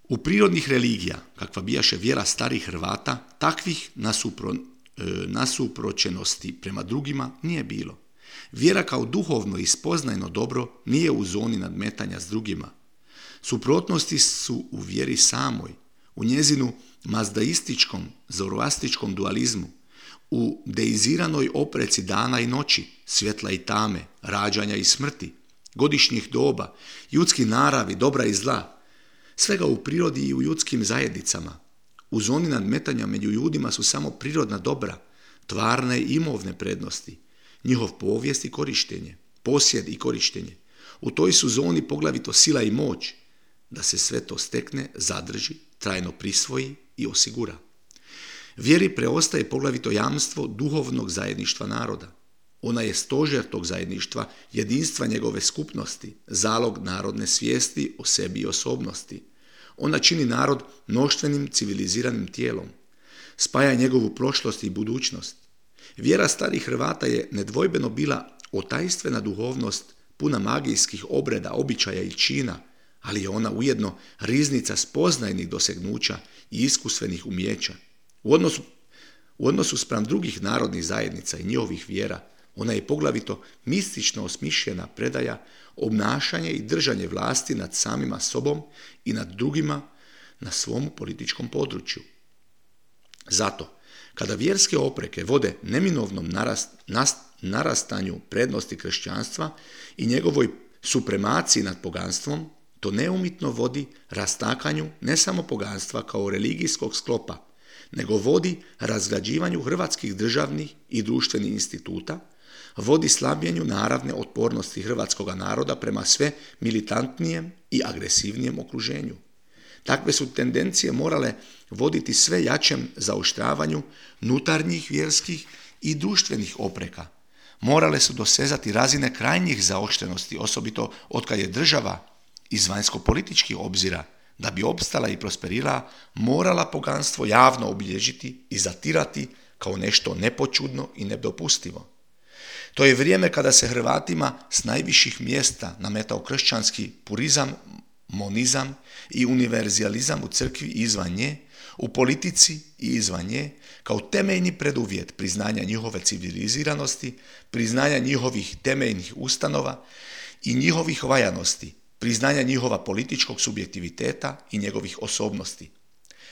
U prirodnih religija, kakva bijaše vjera starih Hrvata, takvih nasuproćenosti prema drugima nije bilo. Vjera kao duhovno i spoznajno dobro nije u zoni nadmetanja s drugima. Suprotnosti su u vjeri samoj, u njezinu mazdaističkom, zoroastičkom dualizmu, u deiziranoj opreci dana i noći, svjetla i tame, rađanja i smrti, godišnjih doba, ljudski naravi, dobra i zla, svega u prirodi i u ljudskim zajednicama. U zoni nadmetanja među ljudima su samo prirodna dobra, tvarne i imovne prednosti, njihov povijest i korištenje, posjed i korištenje. U toj su zoni poglavito sila i moć, da se sve to stekne, zadrži, trajno prisvoji i osigura. Vjeri preostaje poglavito jamstvo duhovnog zajedništva naroda. Ona je stožer tog zajedništva, jedinstva njegove skupnosti, zalog narodne svijesti o sebi i osobnosti. Ona čini narod mnoštvenim civiliziranim tijelom, spaja njegovu prošlost i budućnost. Vjera starih Hrvata je nedvojbeno bila otajstvena duhovnost, puna magijskih obreda, običaja i čina, ali je ona ujedno riznica spoznajnih dosegnuća i iskusvenih umijeća. U odnosu spram drugih narodnih zajednica i njihovih vjera, ona je poglavito mistično osmišljena predaja, obnašanje i držanje vlasti nad samima sobom i nad drugima na svom političkom području. Zato, kada vjerske opreke vode neminovnom narastanju prednosti kršćanstva i njegovoj supremaciji nad poganstvom, to neumitno vodi rastakanju ne samo poganstva kao religijskog sklopa, nego vodi razgrađivanju hrvatskih državnih i društvenih instituta, vodi slabljenju naravne otpornosti hrvatskog naroda prema sve militantnijem i agresivnijem okruženju. Takve su tendencije morale voditi sve jačem zaoštravanju nutarnjih vjerskih i društvenih opreka. Morale su dosezati razine krajnjih zaoštrenosti, osobito otkad je država iz vanjsko-političkih obzira, da bi opstala i prosperirala, morala poganstvo javno obilježiti i zatirati kao nešto nepočudno i nedopustivo. To je vrijeme kada se Hrvatima s najviših mjesta nametao kršćanski purizam, monizam i univerzalizam u crkvi i izvan nje, u politici i izvan nje, kao temeljni preduvjet priznanja njihove civiliziranosti, priznanja njihovih temeljnih ustanova i njihovih valjanosti, priznanja njihova političkog subjektiviteta i njegovih osobnosti.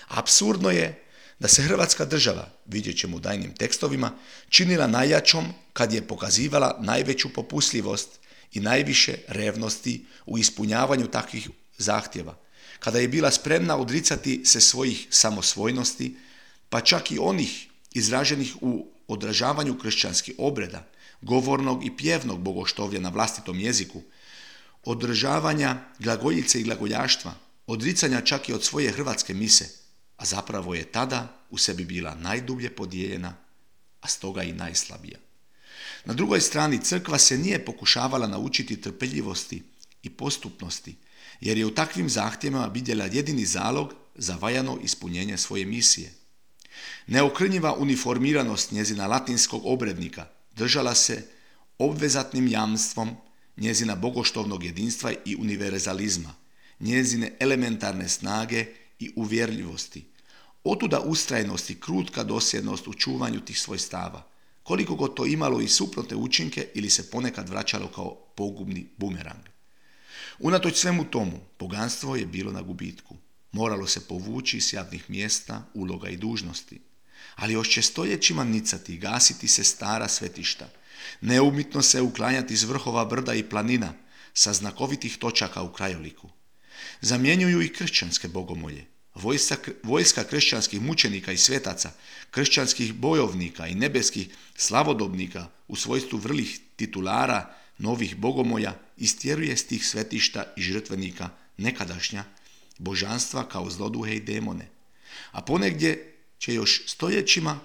Apsurdno je da se Hrvatska država, vidjet ćemo u daljnjim tekstovima, činila najjačom kad je pokazivala najveću popustljivost i najviše revnosti u ispunjavanju takvih zahtjeva, kada je bila spremna odricati se svojih samosvojnosti, pa čak i onih izraženih u odražavanju kršćanskih obreda, govornog i pjevnog bogoštovlja na vlastitom jeziku, održavanja glagoljice i glagoljaštva, odricanja čak i od svoje hrvatske mise, a zapravo je tada u sebi bila najdublje podijeljena, a stoga i najslabija. Na drugoj strani crkva se nije pokušavala naučiti trpeljivosti i postupnosti, jer je u takvim zahtjevima vidjela jedini zalog za valjano ispunjenje svoje misije. Neokrnjiva uniformiranost njezina latinskog obrednika držala se obvezatnim jamstvom njezina bogoštovnog jedinstva i univerzalizma, njezine elementarne snage i uvjerljivosti. Otuda ustrajnost i krutka dosljednost u čuvanju tih svojstava, koliko god to imalo i suprotne učinke ili se ponekad vraćalo kao pogubni bumerang. Unatoč svemu tomu, poganstvo je bilo na gubitku. Moralo se povući s javnih mjesta, uloga i dužnosti. Ali još će stoljećima nicati i gasiti se stara svetišta, neumitno se uklanjati iz vrhova brda i planina sa znakovitih točaka u krajoliku. Zamjenjuju i kršćanske bogomolje. Vojska kršćanskih mučenika i svetaca, kršćanskih bojovnika i nebeskih slavodobnika u svojstvu vrlih titulara novih bogomolja istjeruje s tih svetišta i žrtvenika nekadašnja božanstva kao zloduhe i demone. A ponegdje će još stoljećima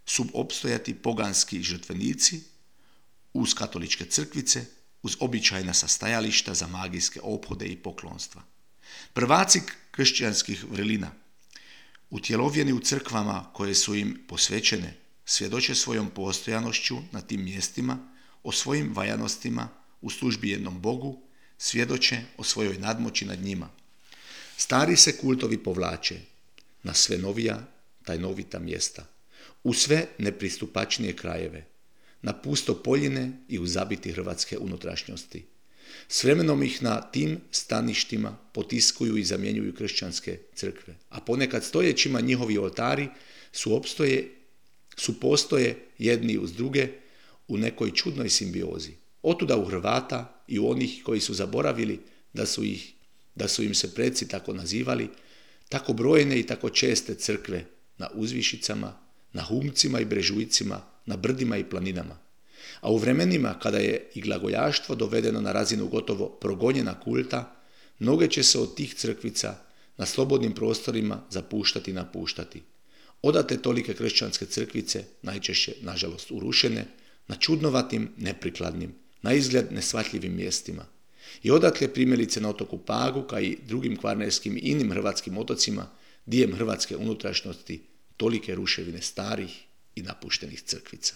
subopstojati poganski žrtvenici uz katoličke crkvice, uz običajna sastajališta za magijske ophode i poklonstva. Prvaci kršćanskih vrlina, utjelovljeni u crkvama koje su im posvećene, svjedoče svojom postojanošću na tim mjestima, o svojim valjanostima u službi jednom Bogu, svjedoče o svojoj nadmoći nad njima. Stari se kultovi povlače na sve novija, tajnovita mjesta, u sve nepristupačnije krajeve, na pusto Poljine i u zabiti hrvatske unutrašnjosti. S vremenom ih na tim staništima potiskuju i zamjenjuju kršćanske crkve, a ponekad stojećima njihovi oltari postoje jedni uz druge u nekoj čudnoj simbiozi. Otuda u Hrvata i u onih koji su zaboravili da su im se preci tako nazivali, tako brojne i tako česte crkve na uzvišicama, na humcima i brežujcima, na brdima i planinama. A u vremenima kada je i glagojaštvo dovedeno na razinu gotovo progonjena kulta, mnoge će se od tih crkvica na slobodnim prostorima zapuštati i napuštati. Odate tolike kršćanske crkvice, najčešće, nažalost, urušene, na čudnovatim, neprikladnim, na izgled neshvatljivim mjestima. I odatle primjerice na otoku Pagu, kao i drugim kvarnerskim i inim hrvatskim otocima, diljem hrvatske unutrašnjosti, tolike ruševine starih i napuštenih crkvica.